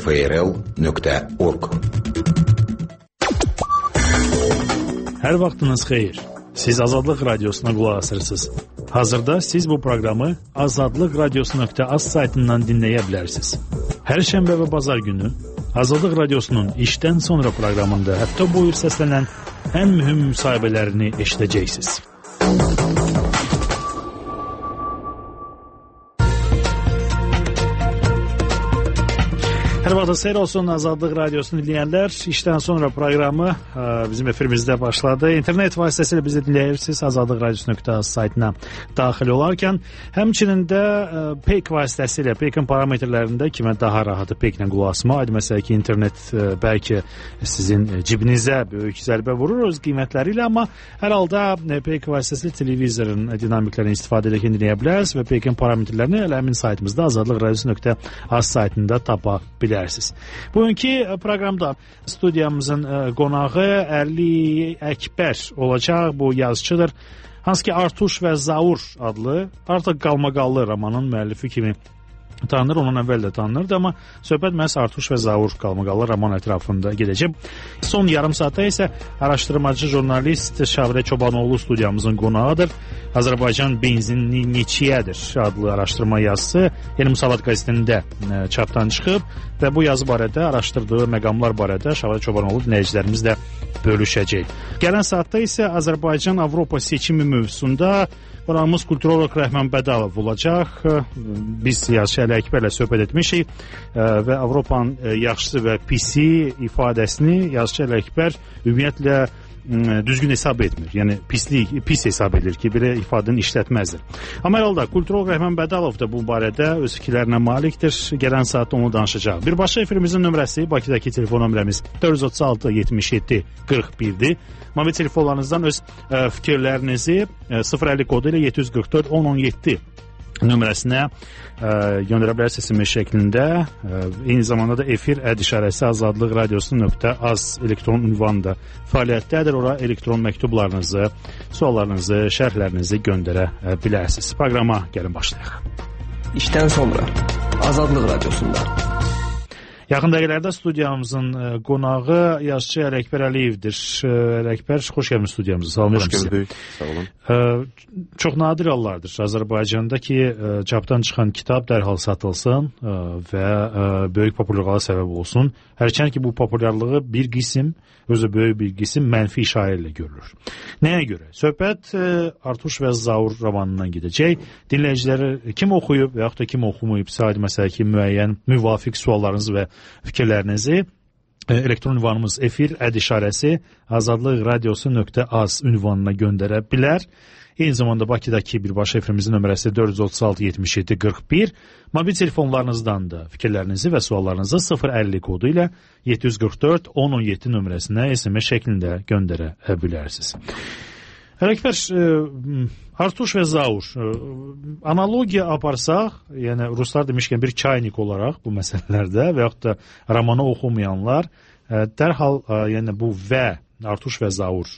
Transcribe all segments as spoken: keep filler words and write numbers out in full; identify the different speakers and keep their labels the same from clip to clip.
Speaker 1: f r l nöqtə org.
Speaker 2: Hər vaxtınız xeyir. Siz Azadlıq Radiosuna qulaq asırsınız. Hazırda siz bu proqramı azadlıq radiosu nöqtə az saytından dinləyə bilərsiniz. Hər şənbə və bazar günü Azadlıq Radiosunun işdən sonra proqramında həftə boyu səslənən ən mühüm müsahibələrini eşidəcəksiniz. Hər vaxtınız xeyir olsun Azadlıq Radiosunu dinləyənlər. İşdən sonra proqramı bizim efirimizdə başladı. İnternet vasitəsilə bizi dinləyirsiniz. Azadlıq Radiosu nöqtə az saytına daxil olarkən, həmçinin də P E Y K vasitəsilə, P E Y K-ın parametrlərində kimə daha rahatı P E Y K-lə qulaq asma, məsələn ki, internet bəlkə sizin cibinizə böyük zərbə vurur öz qiymətləri ilə, amma hər halda P E Y K vasitəsilə televizorun dinamiklərini istifadə edərkən dinləyə bilərsiniz və P E Y K-ın parametrlərini elə həmin saytımızda Azadlıq Radiosu nöqtə az saytında tapa bilərsiniz. Bugünkü proqramda studiyamızın qonağı Əli Əkbər olacaq. Bu yazıçıdır. Hansı ki Artuş və Zaur adlı artıq qalmaqallı romanın müəllifi kimi tanınır, ondan əvvəl də tanınırdı, amma söhbət məhz Artuş və Zaur qalmaqallı roman ətrafında gedəcək. Son yarım saatda isə araşdırmacı jurnalist Şavrə Çobanoğlu studiyamızın qonağıdır. Azərbaycan benzinli neçiyədir adlı araşdırma yazısı Yeni Musavat qəzetində çapdan çıxıb və bu yazı barədə, araşdırdığı məqamlar barədə Şavrə Çobanoğlu dinləyicilərimizlə bölüşəcək. Gələn saatda isə Azərbaycan Avropa seçimi mövzusunda qonağımız kulturolog Rəhman Bədalov olacaq. Biz yazıçı Əli Əkbərlə söhbət etmişik və Avropanın yaxşısı və pisi ifadəsini yazıçı Əli Əkbər ümumiyyətlə düzgün hesab etmir. Yəni pislik, pis hesab edir ki, belə ifadəni işlətməzdir. Amma hər halda kulturolog Rəhman Bədalov da bu barədə öz fikirlərinə malikdir. Gələn saatda onu danışacaq. Birbaşa efirimizin nömrəsi Bakıdakı telefon nömrəmiz dörd yüz otuz altı yetmiş yeddi qırx birdir. Mobil telefonlarınızdan öz ə, fikirlərinizi ə, sıfır əlli kodu ilə yeddi yüz qırx dörd on on yeddi nömrəsinə ə, göndərə bilərsiniz S M S şəklində. Ə, eyni zamanda da efir əd işarəsi azadlıq radiosu nöqtə az elektron ünvanında fəaliyyətdədir. Ora elektron məktublarınızı, suallarınızı, şərhlərinizi göndərə bilərsiniz. Proqrama gəlin başlayaq.
Speaker 3: İşdən sonra Azadlıq Radiosunda.
Speaker 2: Yaxın dəqiqələrdə studiyamızın qonağı yazıçı Əli Əkbər Əliyevdir. Əli Əkbər, xoş gəlmişsiniz studiyamıza. Salamlayıram
Speaker 4: sizi. Xoş gördük. Sağ olun.
Speaker 2: Çox nadir hallardır Azərbaycanda ki, çapdan çıxan kitab dərhal satılsın və böyük populyarlığa səbəb olsun. Hərçənd ki, bu populyarlığı bir qism, özü böyük bir qism mənfi işarə ilə görülür. Nəyə görə? Söhbət Artuş və Zaur romanından gedəcək. Dinləyiciləri kim oxuyub və yaxud da kim oxumayıbsa, məsələ ki, müəyyən müvafiq suallarınızı və fikirlərinizi elektron ünvanımız efir əd işarəsi azadlıq radiosu nöqtə az ünvanına göndərə bilər. Eyni zamanda Bakıdakı birbaşa efirimizin nömrəsi dörd yüz otuz altı yetmiş yeddi qırx bir. Mobil telefonlarınızdan da fikirlərinizi və suallarınızı sıfır əlli kodu ilə yeddi yüz qırx dörd on on yeddi nömrəsinə S M S şəklində göndərə bilərsiniz. Əli Əkbər, Artuş və Zaur, analogiya aparsaq, yəni ruslar demişkən bir çaynik olaraq bu məsələlərdə və yaxud da romanı oxumayanlar dərhal yəni bu və Artuş və Zaur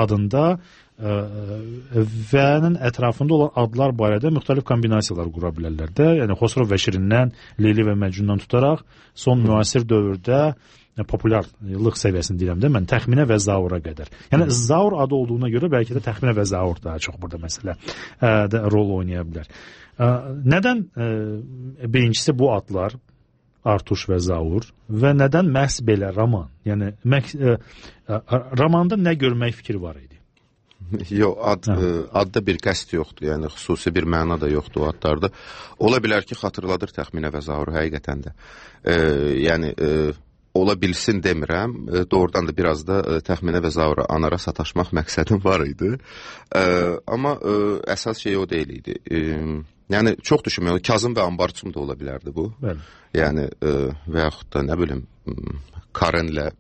Speaker 2: adında və-nin ətrafında olan adlar barədə müxtəlif kombinasiyalar qura bilərlər də. Yəni Xosrov və Şirindən, Leyli və Məcnundan tutaraq son müasir dövrdə populyarlıq səviyyəsini deyirəm də, mən təxminə və Zaura qədər. Yəni Zaur adı olduğuna görə bəlkə də təxminə və Zaur daha çox burada məsələ də rol oynaya bilər. Nədən birincisi bu adlar Artuş və Zaur və nədən məhz belə roman? Yəni romanda nə görmək fikri var idi?
Speaker 4: Yox, ad, adda bir qəsd yoxdur, yəni xüsusi bir məna da yoxdur o adlarda. Ola bilər ki, xatırladır təxminə və Zaur həqiqətən də. E, yəni e, ola bilsin demirəm, e, doğrudan da biraz da e, təxminə və Zaura anara sataşmaq məqsədim var idi. E, amma e, əsas şey o deyil idi. E, yəni çox düşünmüyorum, Kazım və Ambarçum da ola bilərdi bu. Bəli. Yəni e, və yaxud da nə bilim Karenlə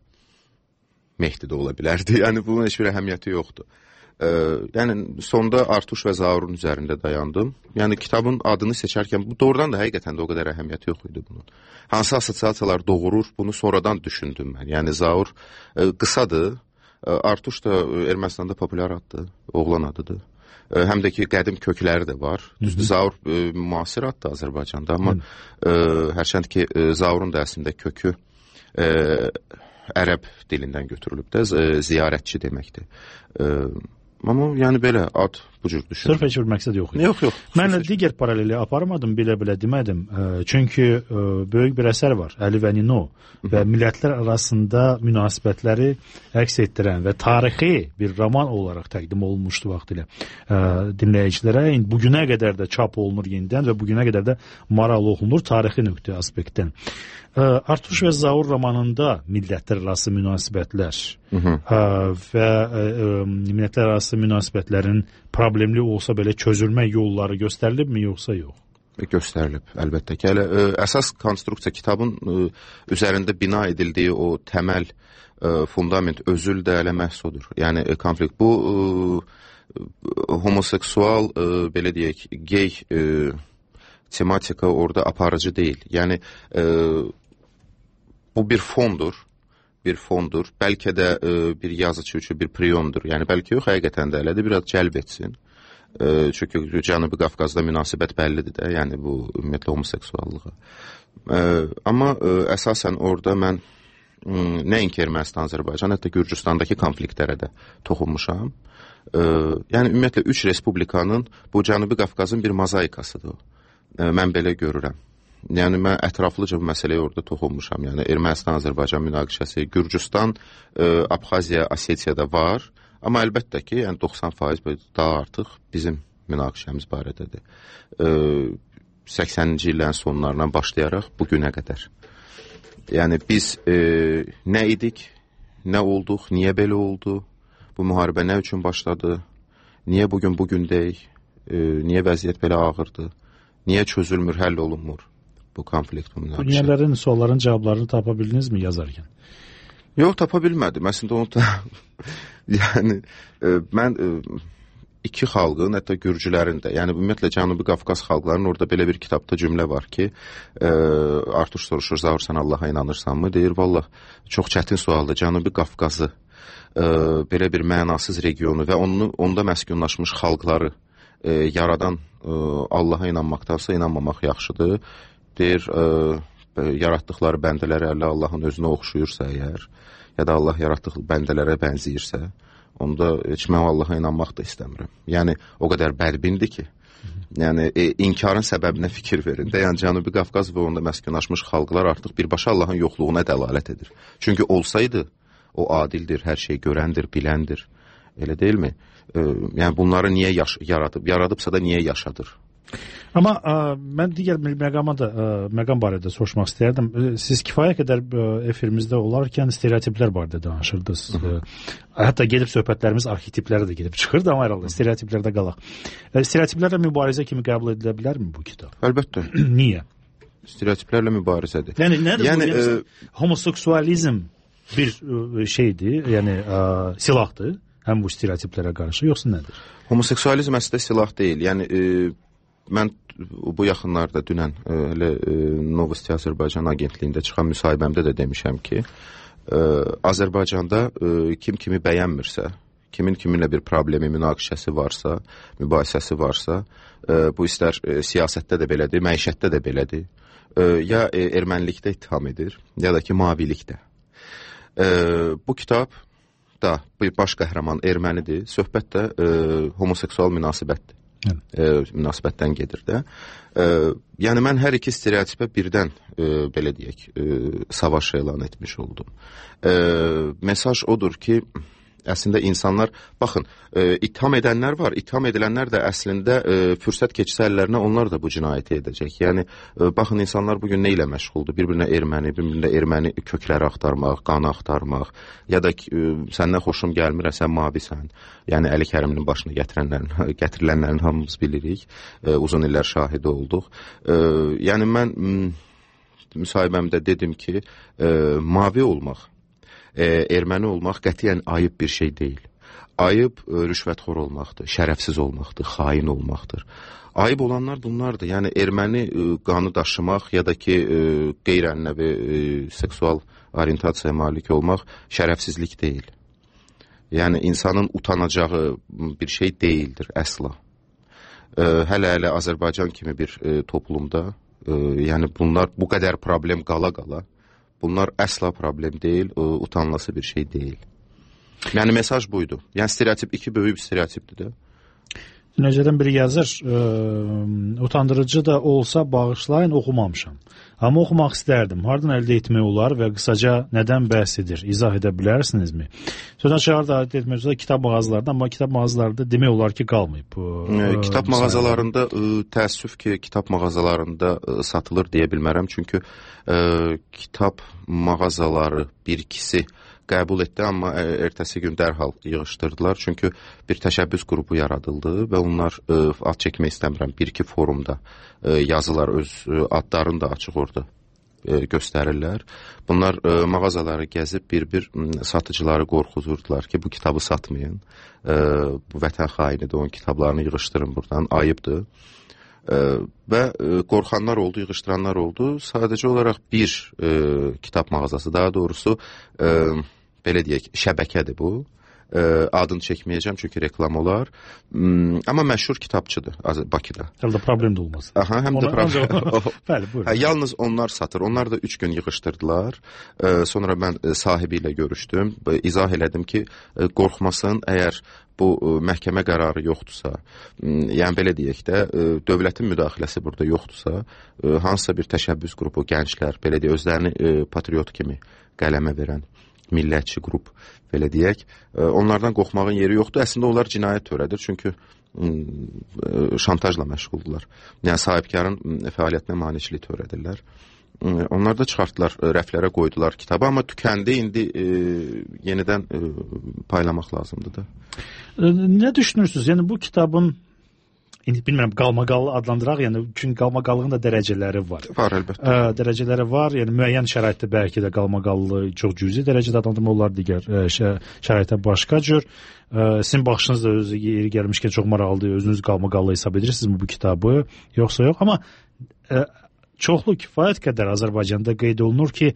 Speaker 4: Mehdi də ola bilərdi. Yəni bunun heç bir əhəmiyyəti yoxdur. Ee, yəni sonda Artuş və Zaurun üzərində dayandım. Yəni kitabın adını seçərkən bu doğrudan da həqiqətən də o qədər əhəmiyyəti yox idi bunun. Hansı assosiasiyalar doğurur, bunu sonradan düşündüm mən. Yəni Zaur e, qısadır, e, Artuş da Ermənistanda populyar addır, oğlan adıdır. ə, həm də ki qədim kökləri də var. Düzdür, Zaur ə, müasir addır Azərbaycanda, amma ə, hərçənd ki ə, Zaurun da əslində kökü ə, ərəb dilindən götürülüb də, ziyarətçi deməkdir. Ə, amma yəni belə ad bu cür düşünürəm.
Speaker 2: Sırf heç bir məqsəd yox idi.
Speaker 4: Yox, yox.
Speaker 2: Mən digər paraleli aparmadım, belə-belə demədim. Çünki böyük bir əsər var, Əli və Nino və millətlər arasında münasibətləri əks etdirən və tarixi bir roman olaraq təqdim olunmuşdu vaxtilə dinləyicilərə. Bugünə qədər də çap olunur yenidən və bugünə qədər də maraqlı oxunur tarixi nöqtə aspektdən. Artuş və Zaur romanında millətlər arası münasibətlər hı -hı. və millətlər arası münasibətlərin problemli olsa belə çözülmə yolları göstərilibmi, yoxsa yox?
Speaker 4: Göstərilib, əlbəttə ki. Hələ ə, əsas konstruksiya kitabın ə, üzərində bina edildiyi o təməl ə, fundament özül də elə məhz odur. Yəni ə, konflikt bu ə, homoseksual ə, belə deyək, gey ə, tematika orada aparıcı deyil. Yəni ə, bu bir fondur. bir fondur. Bəlkə də e, bir yazıcı üçün bir priyondur. Yəni bəlkə yox, həqiqətən də elədir, biraz cəlb etsin. E, çünki Cənubi Qafqazda münasibət bəllidir də, yəni bu ümumiyyətlə homoseksuallığa. E, amma e, əsasən orada mən m, nəinki Ermənistan, Azərbaycan, hətta Gürcüstandakı konfliktlərə də toxunmuşam. E, yəni ümumiyyətlə üç respublikanın bu Cənubi Qafqazın bir mozaikasıdır o. E, mən belə görürəm. Yəni mən ətraflıca bu məsələyə orada toxunmuşam. Yəni Ermənistan, Azərbaycan münaqişəsi, Gürcüstan, e, Abxaziya, Osetiyada var. Amma əlbəttə ki, yəni doxsan faiz daha artıq bizim münaqişəmiz barədədir. E, səksəninci illərin sonlarından başlayaraq bu günə qədər. Yəni biz e, nə idik, nə olduq, niyə belə oldu, bu müharibə nə üçün başladı, niyə bugün bugün deyik, e, niyə vəziyyət belə ağırdır, niyə çözülmür, həll olunmur bu konflikt, bu münaqişə. Bu niyələrin, sualların cavablarını tapa bildinizmi yazarkən? Yox, tapa bilmədim. Əslində onu da yəni e, mən e, iki xalqın, hətta Gürcülərin də, yəni ümumiyyətlə Cənubi Qafqaz xalqlarının orada belə bir kitabda cümlə var ki, e, Artuş soruşur, Zaur sən Allaha inanırsanmı? Deyir, vallah, çox çətin sualdır. Cənubi Qafqazı e, belə bir mənasız regionu və onu, onda məskunlaşmış xalqları e, yaradan e, Allaha inanmaqdansa inanmamaq yaxşıdır. Deyir, e, yaratdıqları bəndələri əllə Allahın özünə oxşuyursa əgər, ya da Allah yaratdığı bəndələrə bənziyirsə, onda heç mən Allaha inanmaq da istəmirəm. Yəni, o qədər bədbindir ki, yəni, e, inkarın səbəbinə fikir verin də, yəni Cənubi Qafqaz və onda məskunlaşmış xalqlar artıq birbaşa Allahın yoxluğuna dəlalət edir. Çünki olsaydı, o adildir, hər şey görəndir, biləndir, elə deyilmi? E, yəni, bunları niyə yaş yaradıb, yaradıbsa da niyə yaşadır? Amma ə, mən digər məqama da ə, məqam barədə soruşmaq istəyərdim. Siz kifayət qədər ə, efirimizdə olarkən stereotiplər barədə danışırdınız. Ə, hətta gedib söhbətlərimiz arxetiplərə də gedib çıxırdı, amma herhalde stereotiplərdə qalaq. Ə, stereotiplərlə mübarizə kimi qəbul edilə bilərmi bu kitab? Əlbəttə. Niyə? Stereotiplərlə mübarizədir. Yəni nədir yəni, bu? Yəni, ə... homoseksualizm bir ə, şeydir, yəni ə, silahdır, həm bu stereotiplərə qarşı, yoxsa nədir? Homoseksualizm əslində silah deyil. Yəni ə, mən bu yaxınlarda dünən elə Novosti Azərbaycan agentliyində çıxan müsahibəmdə də demişəm ki, ə, Azərbaycanda ə, kim kimi bəyənmirsə, kimin kiminlə bir problemi, münaqişəsi varsa, mübahisəsi varsa, ə, bu istər ə, siyasətdə də belədir, məişətdə də belədir, ə, ya ə, ermənilikdə ittiham edir, ya da ki mavilikdə. Ə, bu kitab da bir baş qəhrəman ermənidir, söhbət də ə, homoseksual münasibətdir. E, münasibətdən gedir də. E, yəni mən hər iki stereotipə birdən e, belə deyək, e, savaş elan etmiş oldum. E, mesaj odur ki, əslində insanlar, baxın, e, itham edənlər var, itham edilənlər də əslində e, fürsət keçsə əllərinə onlar da bu cinayəti edəcək. Yəni, e, baxın, insanlar bugün nə ilə məşğuldur? Bir-birinə erməni, bir-birinə erməni kökləri axtarmaq, qanı axtarmaq, ya da e, səndən xoşum gəlmir, sən mavisən. Yəni, Əli Kəriminin başına gətirənlərin, gətirilənlərin hamımız bilirik, e, uzun illər şahidi olduq. E, yəni, mən m, müsahibəmdə dedim ki, e, mavi olmaq, E, erməni olmaq qətiyyən ayıb bir şey deyil. Ayıb e, rüşvətxor olmaqdır, şərəfsiz olmaqdır, xain olmaqdır. Ayıb olanlar bunlardır. Yəni erməni e, qanı daşımaq ya da ki e, qeyri-ənənəvi e, seksual orientasiyaya malik olmaq şərəfsizlik deyil. Yəni insanın utanacağı bir şey deyildir əsla. Hələ-hələ Azərbaycan kimi bir e, toplumda, e, yəni bunlar bu qədər problem qala-qala, bunlar əsla problem deyil, e, utanılası bir şey deyil. Yəni mesaj buydu. Yəni stereotip iki böyük bir stereotipdir də.
Speaker 2: Necədən biri yazır, e, utandırıcı da olsa bağışlayın, oxumamışam. Amma oxumaq istərdim. Hardan əldə etmək olar və qısaca nədən bəhs edir? İzah edə bilərsinizmi? Sözdən çağır da əldə etmək üzrə kitab mağazalarında, amma kitab mağazalarında demək olar ki, qalmayıb.
Speaker 4: E, kitab mağazalarında, e, təəssüf ki, kitab mağazalarında e, satılır deyə bilmərəm. Çünki e, kitab mağazaları bir ikisi qəbul etdi, amma ertəsi gün dərhal yığışdırdılar. Çünki bir təşəbbüs qrupu yaradıldı və onlar e, ad çəkmək istəmirəm. Bir-iki forumda e, yazılar, öz e, adlarını da açıq orada e, göstərirlər. Bunlar e, mağazaları gəzib bir-bir satıcıları qorxuzurdular ki, bu kitabı satmayın. E, bu vətən xainidir, onun kitablarını yığışdırın buradan, ayıbdır. E, və e, qorxanlar oldu, yığışdıranlar oldu. Sadəcə olaraq bir e, kitab mağazası, daha doğrusu e, belə deyək, şəbəkədir bu. E, adını çəkməyəcəm çünki reklam olar. Hmm, amma məşhur kitabçıdır Bakıda.
Speaker 2: Hələ də problem də olmaz.
Speaker 4: Aha, həm də problem.
Speaker 2: Bəli, buyurun.
Speaker 4: Hə, yalnız onlar satır. Onlar da üç gün yığışdırdılar. E, sonra mən e, sahibi ilə görüşdüm. E, izah elədim ki, e, qorxmasın, əgər bu e, məhkəmə qərarı yoxdursa, e, yəni belə deyək də, e, dövlətin müdaxiləsi burada yoxdursa, e, hansısa bir təşəbbüs qrupu, gənclər, belə deyək, özlərini e, patriot kimi qələmə verən millətçi qrup, belə deyək, e, onlardan qorxmağın yeri yoxdur. Əslində onlar cinayət törədir, çünki e, şantajla məşğuldurlar. Yəni sahibkarın e, fəaliyyətinə maneçilik törədirlər. E, onlar da çıxartdılar, e, rəflərə qoydular kitabı, amma tükəndi, indi e, yenidən e, paylamaq lazımdır da.
Speaker 2: E, nə düşünürsünüz? Yəni bu kitabın İndi bilmirəm, qalmaqallı adlandıraq, yəni çünki qalmaqallığın da dərəcələri var.
Speaker 4: Var, əlbəttə.
Speaker 2: Ə, dərəcələri var, yəni müəyyən şəraitdə bəlkə də qalmaqallı çox cüzi dərəcədə adlandırma olar, digər ə, şəraitdə başqa cür. Ə, sizin baxışınız da özü yeri gəlmişkən çox maraqlıdır, özünüz qalmaqallı hesab edirsinizmi bu kitabı, yoxsa yox? Amma ə, çoxlu kifayət qədər Azərbaycanda qeyd olunur ki,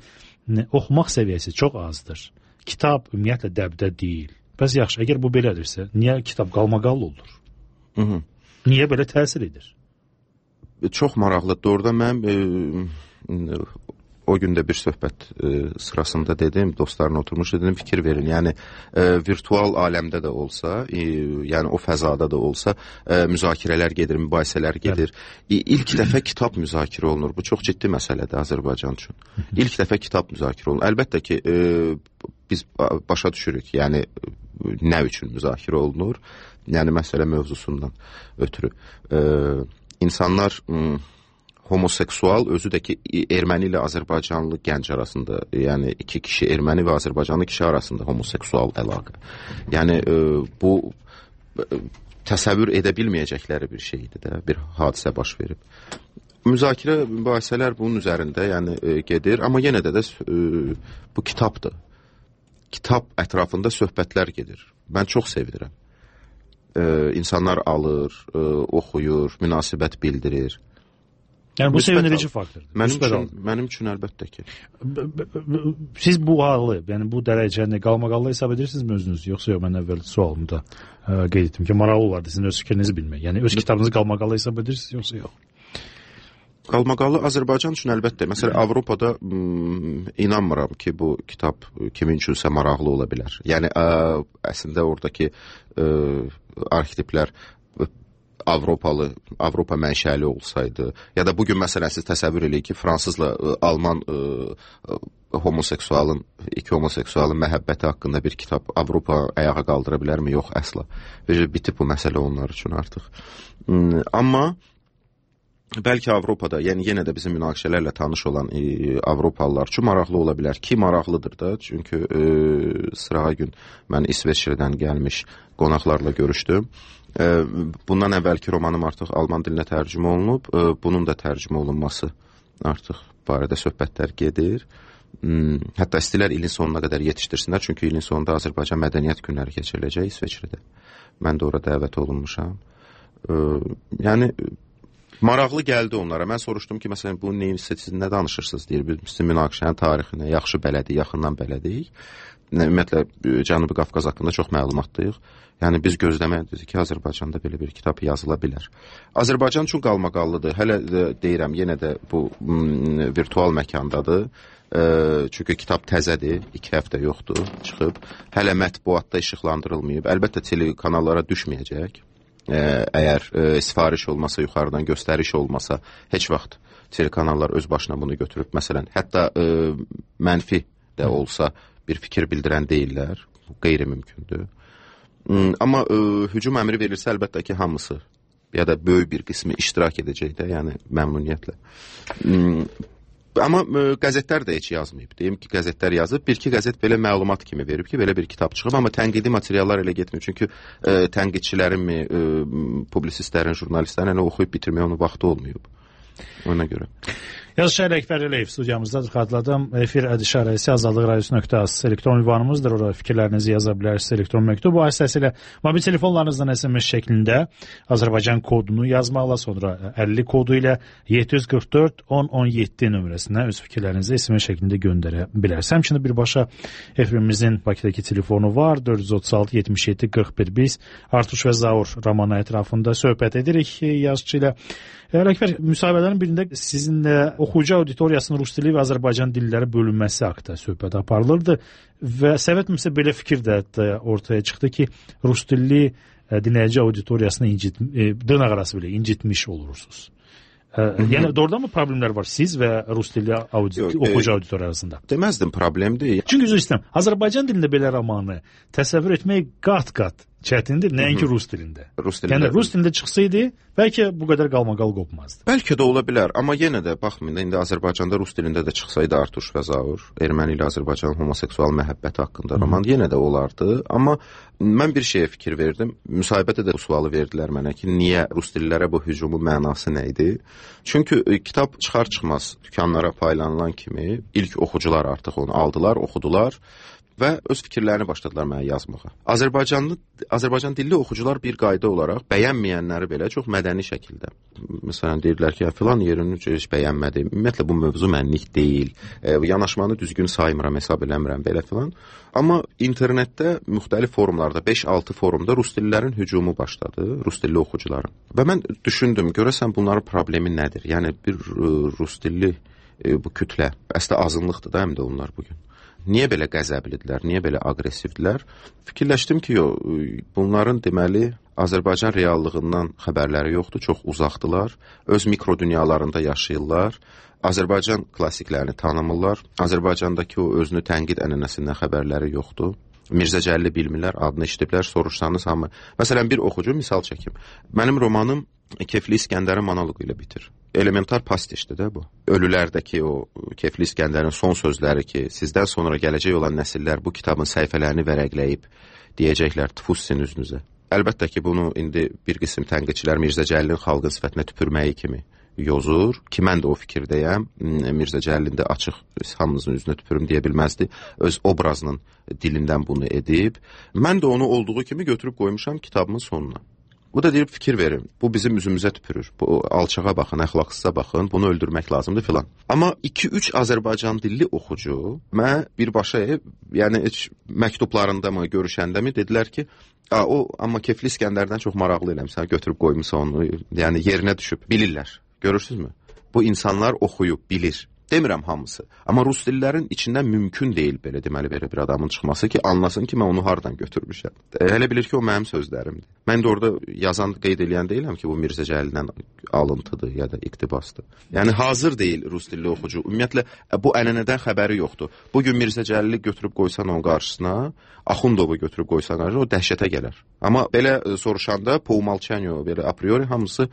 Speaker 2: nə, oxumaq səviyyəsi çox azdır. Kitab ümumiyyətlə dəbdə deyil. Bəs yaxşı, əgər bu belədirsə, niyə kitab qalmaqallı olur?
Speaker 4: Hı hı.
Speaker 2: Niyə belə təsir edir?
Speaker 4: Çox maraqlıdır. Doğrudan mən e, o gün də bir söhbət e, sırasında dedim, dostlarla oturmuş dedim, fikir verin. Yəni e, virtual aləmdə də olsa, e, yəni o fəzada da olsa e, müzakirələr gedir, mübahisələr gedir. E, ilk dəfə kitab müzakirə olunur. Bu çox ciddi məsələdir Azərbaycan üçün. İlk dəfə kitab müzakirə olunur. Əlbəttə ki, e, biz başa düşürük, yəni nə üçün müzakirə olunur? Yəni məsələ mövzusundan ötürü. E, insanlar m, homoseksual, özü də ki erməni ilə Azərbaycanlı gənc arasında, yəni iki kişi, erməni və Azərbaycanlı kişi arasında homoseksual əlaqə. Yəni e, bu e, təsəvvür edə bilməyəcəkləri bir şeydir də, bir hadisə baş verib. Müzakirə, mübahisələr bunun üzərində yəni e, gedir, amma yenə də də e, bu kitabdır. Kitab ətrafında söhbətlər gedir. Mən çox sevinirəm. Ee, insanlar alır, e, oxuyur, münasibət bildirir.
Speaker 2: Yəni bu sevindirici faktordur.
Speaker 4: Mənim üçün, mənim üçün əlbəttə ki.
Speaker 2: Siz bu halı, yəni bu dərəcəni qalmaqallı hesab edirsinizmi özünüz, yoxsa yox? Mən əvvəl sualımda ə, qeyd etdim ki, maraqlı olardı sizin öz fikrinizi bilmək. Yəni öz kitabınızı qalmaqallı hesab edirsiniz, yoxsa yox?
Speaker 4: Qalmaqallı Azərbaycan üçün əlbəttə. Məsələn, Avropada m, inanmıram ki, bu kitab kimin üçünsə maraqlı ola bilər. Yəni ə, əslində oradakı ə, arxetiplər Avropalı, Avropa mənşəli olsaydı, ya da bugün məsələn siz təsəvvür eləyin ki, fransızla ə, alman ə, ə, homoseksualın, iki homoseksualın məhəbbəti haqqında bir kitab Avropa ayağa qaldıra bilərmi? Yox, əsla. Və bitib bu məsələ onlar üçün artıq. M, amma bəlkə Avropada, yəni yenə də bizim münaqişələrlə tanış olan e, Avropalılar üçün maraqlı ola bilər ki, maraqlıdır da. Çünki e, sırağa gün mən İsveçrədən gəlmiş qonaqlarla görüşdüm. E, bundan əvvəlki romanım artıq alman dilinə tərcümə olunub. E, bunun da tərcümə olunması artıq barədə söhbətlər gedir. Hmm, hətta istəyirlər ilin sonuna qədər yetişdirsinlər. Çünki ilin sonunda Azərbaycan mədəniyyət günləri keçiriləcək İsveçrədə. Mən də ora dəvət olunmuşam. E, yəni maraqlı gəldi onlara. Mən soruşdum ki, məsələn, bu neyin siz nə danışırsınız deyir. Biz sizin münaqişənin tarixinə yaxşı bələdik, yaxından bələdik. ümumiyyətlə Cənubi Qafqaz haqqında çox məlumatlıyıq. Yəni biz gözləməliyik ki, Azərbaycanda belə bir kitab yazıla bilər. Azərbaycan üçün qalmaqallıdır. Hələ də deyirəm, yenə də bu m, virtual məkandadır. E, çünki kitab təzədir, iki həftə yoxdur, çıxıb. Hələ mətbuatda işıqlandırılmayıb. Əlbəttə telekanallara düşməyəcək. E, əgər e, sifariş olmasa, yuxarıdan göstəriş olmasa, heç vaxt telekanallar öz başına bunu götürüb. Məsələn, hətta e, mənfi də olsa bir fikir bildirən deyirlər. Bu qeyri-mümkündür. Amma ə, hücum əmri verilsə, əlbəttə ki, hamısı ya da böyük bir qismi iştirak edəcək də, yəni məmnuniyyətlə. Amma ə, qəzetlər də heç yazmayıb. Deyim ki, qəzetlər yazıb, bir-iki qəzet belə məlumat kimi verib ki, belə bir kitab çıxıb, amma tənqidi materiallar elə getmir. Çünki ə, tənqidçilərin mi, ə, publisistlərin, jurnalistlərin elə oxuyub bitirməyə onun vaxtı olmayıb. Ona görə.
Speaker 2: Yazıçı Əkbər Əliyev studiyamızdadır. Xatırladım, efir ədişarəsi azadlıq radiosu nöqtə az elektron ünvanımızdır. Orada fikirlərinizi yaza bilərsiniz elektron məktub vasitəsilə. Mobil telefonlarınızdan S M S şəklində Azərbaycan kodunu yazmaqla, sonra əlli kodu ilə yeddi yüz qırx dörd on on yeddi nömrəsinə öz fikirlərinizi S M S şəklində göndərə bilərsiniz. Həmçinin birbaşa efrimizin Bakıdakı telefonu var. dörd yüz otuz altı yetmiş yeddi qırx bir. Biz Artuş və Zaur romanı ətrafında söhbət edirik yazıçı ilə. Əkbər, müsahibələrin birində sizinlə oxuyucu auditoriyasının rus dili və Azərbaycan dilləri bölünməsi haqqında söhbət aparılırdı və səhv etmirəmsə belə fikir də ortaya çıxdı ki, rus dilli dinləyici auditoriyasını incit, dırnaq arası belə incitmiş olursunuz. Yəni doğrudan mı problemlər var siz və rus dilli audi Yox, oxucu e, auditoriya arasında?
Speaker 4: Deməzdim problemdir.
Speaker 2: Çünki üzr istəyirəm, Azərbaycan dilində belə romanı təsəvvür etmək qat-qat çətindir, nəinki rus dilində.
Speaker 4: Rus dilində.
Speaker 2: Yəni rus dilində çıxsaydı, bəlkə bu qədər qalmaqal qopmazdı.
Speaker 4: Bəlkə də ola bilər, amma yenə də baxmayın, indi Azərbaycanda rus dilində də çıxsaydı Artuş və Zaur, erməni ilə Azərbaycanın homoseksual məhəbbəti haqqında roman yenə də olardı, amma mən bir şeyə fikir verdim. Müsahibədə də bu sualı verdilər mənə ki, niyə rus dillərə bu hücumun mənası nə idi? Çünki e, kitab çıxar-çıxmaz dükanlara paylanılan kimi ilk oxucular artıq onu aldılar, oxudular və öz fikirlərini başladılar mənə yazmağa. Azərbaycanlı, Azərbaycan dilli oxucular bir qayda olaraq bəyənməyənləri belə çox mədəni şəkildə. Məsələn, deyirlər ki, filan yerini heç bəyənmədim. Ümumiyyətlə, bu mövzu mənlik deyil. E, yanaşmanı düzgün saymıram, hesab eləmirəm, belə filan. Amma internetdə müxtəlif forumlarda, beş altı forumda rus dillərin hücumu başladı, rus dilli oxucuların. Və mən düşündüm, görəsən bunların problemi nədir? Yəni, bir rus dilli e, bu kütlə, əslində azınlıqdır da həm də onlar bugün. Niyə belə qəzəblidirlər, niyə belə aqressivdirlər? Fikirləşdim ki, yo, bunların deməli Azərbaycan reallığından xəbərləri yoxdur, çox uzaqdılar, öz mikro dünyalarında yaşayırlar, Azərbaycan klassiklərini tanımırlar, Azərbaycandakı o özünü tənqid ənənəsindən xəbərləri yoxdur. Mirzə Cəlili bilmirlər, adını eşidiblər, soruşsanız hamı. Məsələn, bir oxucu misal çəkim. Mənim romanım Kefli İskəndərin monoloqu ilə bitir. Elementar pastişdir də bu. Ölülərdəki o Kefli İskəndərin son sözləri ki, sizdən sonra gələcək olan nəsillər bu kitabın səhifələrini vərəqləyib deyəcəklər, tüfus sizin üzünüzə. Əlbəttə ki, bunu indi bir qism tənqidçilər Mirzə Cəlilin xalqın sifətinə tüpürməyi kimi yozur ki, mən də o fikirdəyəm. Mirzə Cəlilin də açıq hamımızın üzünə tüpürüm deyə bilməzdi. Öz obrazının dilindən bunu edib. Mən də onu olduğu kimi götürüb qoymuşam kitabımın sonuna. Bu da deyib fikir verin, bu bizim üzümüzə tüpürür, bu alçağa baxın, əxlaqsıza baxın, bunu öldürmək lazımdır filan. Amma iki üç Azərbaycan dilli oxucu mənə birbaşa, yəni heç məktublarında mı, görüşəndə mi dedilər ki, a, o amma Kefli İskəndərdən çox maraqlı eləmsən, götürüb qoymusa onu, yəni yerinə düşüb, bilirlər, görürsünüzmü? Bu insanlar oxuyub, bilir. Demirəm hamısı. Amma rus dillərin içindən mümkün deyil belə deməli belə bir adamın çıxması ki, anlasın ki, mən onu hardan götürmüşəm. E, hələ bilir ki, o mənim sözlərimdir. Mən də orada yazan, qeyd edən deyiləm ki, bu Mirzə Cəlildən alıntıdır ya da iqtibasdır. Yəni hazır deyil rus dilli oxucu. Ümumiyyətlə bu ənənədən xəbəri yoxdur. Bugün Mirzə Cəlili götürüb qoysan onun qarşısına, Axundovu götürüb qoysan qarşısına, o dəhşətə gələr. Amma belə soruşanda po umolçanию, belə a priori hamısı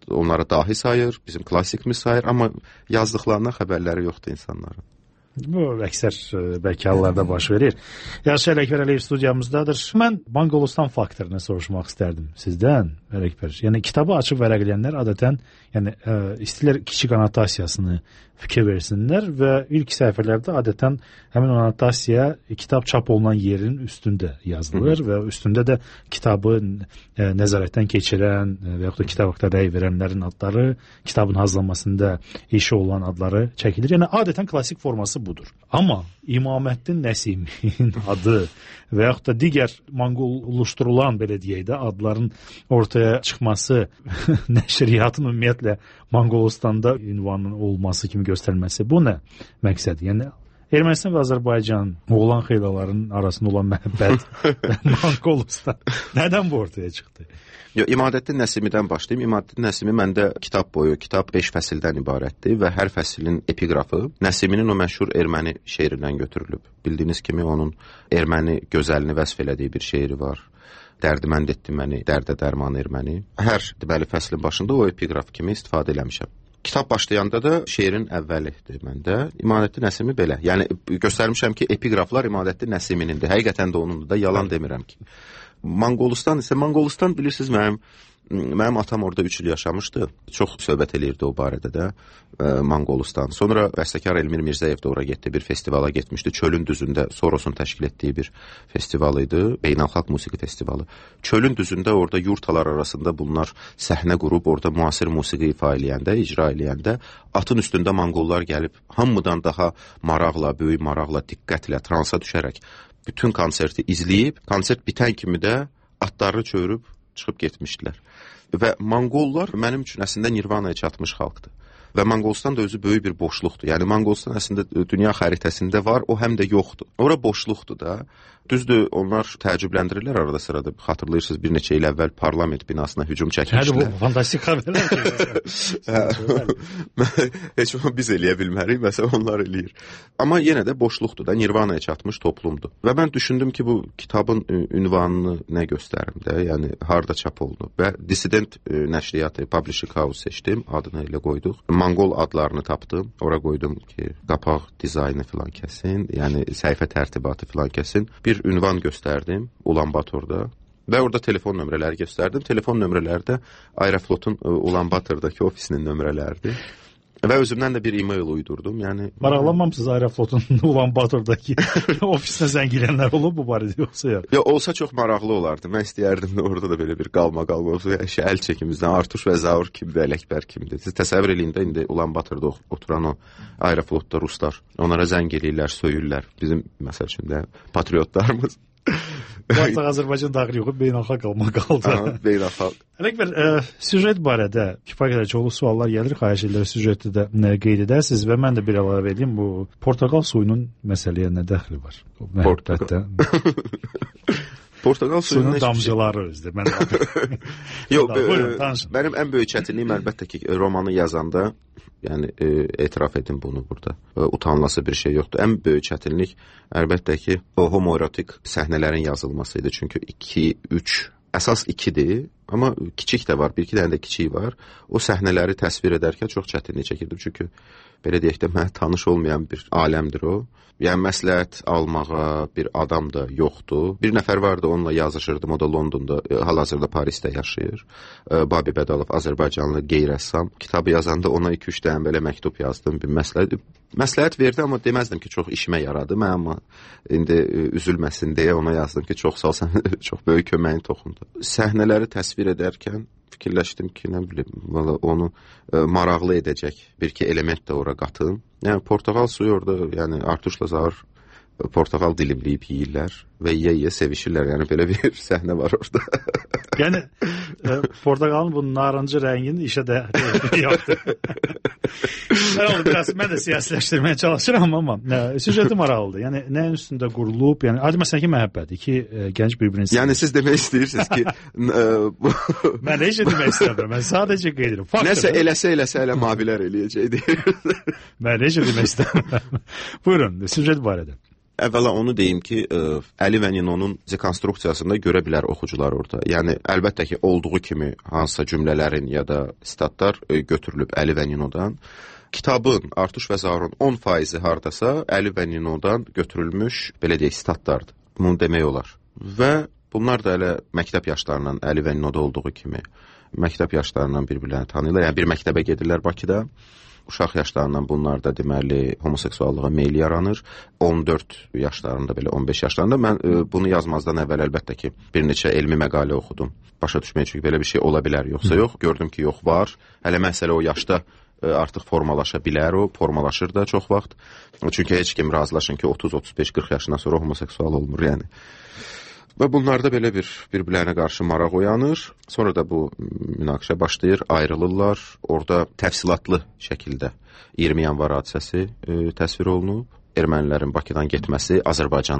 Speaker 4: onları dahi sayır, bizim klassikimiz sayır, amma yazdıqlarına xəbərləri yoxdur insanların.
Speaker 2: Bu əksər bəlkə hallarda baş verir. Yazıçı Əkbər Əliyev studiyamızdadır. Mən Banqolistan faktorunu soruşmaq istərdim sizdən, Əkbər. Yəni kitabı açıb vərəqləyənlər adətən, yəni ə, istəyirlər kiçik annotasiyasını fikir versinlər və ilk səhifələrdə adətən həmin annotasiya kitab çap olunan yerin üstündə yazılır və üstündə də kitabı ə, nəzarətdən keçirən və yaxud da kitab haqqında rəy verənlərin adları, kitabın hazırlanmasında işi olan adları çəkilir. Yəni adətən klassik forması bu. budur. Amma İmaməddin Nəsimin adı və yaxud da digər manqollaşdırılan, belə deyək də, adların ortaya çıxması, nəşriyyatın ümumiyyətlə Manqolistanda ünvanın olması kimi göstərilməsi, bu nə məqsəd? Yəni Ermənistan və Azərbaycan oğlan xeylaların arasında olan məhəbbət və Manqolistan nədən bu ortaya çıxdı?
Speaker 4: Yo, İmadəddin Nəsimidən başlayayım. İmadəddin Nəsimi məndə kitab boyu, kitab beş fəsildən ibarətdir və hər fəsilin epiqrafı Nəsiminin o məşhur erməni şeirindən götürülüb. Bildiyiniz kimi onun erməni gözəlini vəsf elədiyi bir şeiri var. Dərdimənd etdi məni, dərdə dərman erməni. Hər deməli fəslin başında o epiqraf kimi istifadə eləmişəm. Kitab başlayanda da şeirin əvvəlidir məndə. İmadəddin Nəsimi belə. Yəni göstərmişəm ki, epiqraflar İmadəddin Nəsiminindir. Həqiqətən də onundur da, yalan demirəm ki. Manqolistan isə, Manqolistan bilirsiniz, mənim mənim atam orada üç il yaşamışdı. Çox söhbət eləyirdi o barədə də e, Manqolistan. Sonra bəstəkar Elmir Mirzəyev də ora getdi, bir festivala getmişdi. Çölün düzündə Sorosun təşkil etdiyi bir festival idi, beynəlxalq musiqi festivalı. Çölün düzündə orada yurtalar arasında bunlar səhnə qurub, orada müasir musiqi ifa eləyəndə, icra eləyəndə atın üstündə Manqollar gəlib hamıdan daha maraqla, böyük maraqla, diqqətlə, transa düşərək bütün konserti izləyib, konsert bitən kimi də atlarını çövürüb çıxıb getmişdilər. Və Manqollar mənim üçün əslində Nirvanaya çatmış xalqdır. Və Manqolistan da özü böyük bir boşluqdur. Yəni Manqolistan əslində dünya xəritəsində var, o həm də yoxdur. Ora boşluqdur da. Düzdür, onlar təəccübləndirirlər arada sırada. Xatırlayırsınız, bir neçə il əvvəl parlament binasına hücum çəkmişdilər.
Speaker 2: Hə, bu fantastik xəbərlər ki.
Speaker 4: Heç onu biz eləyə bilmərik, məsələn onlar eləyir. Amma yenə də boşluqdur da, Nirvanaya çatmış toplumdur. Və mən düşündüm ki, bu kitabın ünvanını nə göstərim də, yəni harda çap olunub. Və Dissident nəşriyyatı, Publishing House seçdim, adını elə qoyduq. Manqol adlarını tapdım, ora qoydum ki, qapaq dizaynı filan kəsin, yəni səhifə tərtibatı filan kəsin. Bir ünvan göstərdim Ulanbatorda və orada telefon nömrələri göstərdim. Telefon nömrələri də Aeroflotun Ulanbatordakı ofisinin nömrələridir. Və özümdən də bir e-mail uydurdum. Yəni
Speaker 2: maraqlanmamısınız Aeroflotun Ulanbatordakı ofisinə zəng gələnlər olub bu barədə yoxsa ya?
Speaker 4: Ya olsa çox maraqlı olardı. Mən istəyərdim də orada da belə bir qalma qalma olsa, yəni əl çəkimizdən Artuş və Zaur kimdir, Ələkbər kimdir. Siz təsəvvür eləyin də indi Ulanbatorda oturan o Aeroflotda ruslar, onlara zəng eləyirlər, söyürlər. Bizim məsəl üçün də patriotlarımız.
Speaker 2: Artıq Azərbaycan daxili yox, beynəlxalq qalma qaldı.
Speaker 4: Aha, beynəlxalq.
Speaker 2: Ələkbər, e, süjet barədə kifayət qədər çoxlu suallar gəlir, xahiş edirəm süjeti də nə qeyd edəsiniz və mən də bir əlavə edeyim, bu portaqal suyunun məsələyə nə dəxli var?
Speaker 4: Portaqal. Portaqal suyunun
Speaker 2: suyunun damcıları özdə. Mən
Speaker 4: Yox, mənim ən böyük çətinliyim əlbəttə ki, romanı yazanda, yəni e, etiraf edin bunu burada. E, utanılası bir şey yoxdur. Ən böyük çətinlik əlbəttə ki, o homoerotik səhnələrin yazılması idi. Çünki iki, üç, əsas ikidir, amma kiçik də var, bir iki dənə də kiçik var. O səhnələri təsvir edərkən çox çətinlik çəkirdim. Çünki belə deyək də mənə tanış olmayan bir aləmdir o. Yəni məsləhət almağa bir adam da yoxdur. Bir nəfər vardı, onunla yazışırdım. O da Londonda, hal-hazırda Parisdə yaşayır. Babi Bədalov, Azərbaycanlı qeyri-rəssam. Kitabı yazanda ona iki üç dənə belə məktub yazdım, bir məsləhət. Məsləhət verdi, amma deməzdim ki, çox işimə yaradı. Mən amma indi üzülməsin deyə ona yazdım ki, çox sağ ol, sən çox böyük köməyin toxundu. Səhnələri təsvir edərkən fikirləşdim ki, nə bilim, onu e, maraqlı edəcək bir-iki element də ora qatım. Yəni, portaqal suyu orada, yəni Artuşla Zaur portaqal dilimləyib yeyirlər və yeyə-yeyə sevişirlər. Yəni, belə bir səhnə var orada.
Speaker 2: Yəni, e, portaqalın bu narıncı rəngini işə də yoxdur. Mən, biraz, mən də siyasiləşdirməyə çalışıram, amma nə, süjeti maraqlıdır. Yəni, nəyin üstündə qurulub, yəni, adi məsələn ki, məhəbbət, iki e, gənc bir-birini
Speaker 4: yəni, siz demək istəyirsiniz ki... e, bu...
Speaker 2: Mən heç demək istəmirəm, mən sadəcə qeyd edirəm.
Speaker 4: Nəsə eləsə-eləsə elə mavilər eləyəcək deyir.
Speaker 2: Mən heç demək istəmirəm. Buyurun, süjet barədə.
Speaker 4: Əvvəla onu deyim ki, ə, Əli və Ninonun dekonstruksiyasında görə bilər oxucular orada. Yəni, əlbəttə ki, olduğu kimi hansısa cümlələrin ya da statlar ə, götürülüb Əli və Ninodan. Kitabın, Artuş və Zaurun on faizi hardasa Əli və Ninodan götürülmüş, belə deyək, statlardır. Bunu demək olar. Və bunlar da elə məktəb yaşlarından, Əli və Ninoda olduğu kimi, məktəb yaşlarından bir-birlərini tanıyırlar. Yəni, bir məktəbə gedirlər Bakıda. Uşaq yaşlarından bunlar da deməli homoseksuallığa meyil yaranır. on dörd yaşlarında, belə on beş yaşlarında. Mən e, bunu yazmazdan əvvəl əlbəttə ki, bir neçə elmi məqalə oxudum. Başa düşməyə, çünki belə bir şey ola bilər, yoxsa yox. Gördüm ki, yox, var. Hələ məsələ o yaşda artıq formalaşa bilər o, formalaşır da çox vaxt. Çünki heç kim razılaşın ki, otuz otuz beş qırx yaşından sonra homoseksual olmur, yəni. Və bunlarda belə bir bir-birlərinə qarşı maraq oyanır. Sonra da bu münaqişə başlayır, ayrılırlar. Orada təfsilatlı şəkildə iyirmi yanvar hadisəsi e, təsvir olunub. Ermənilərin Bakıdan getməsi, Azərbaycan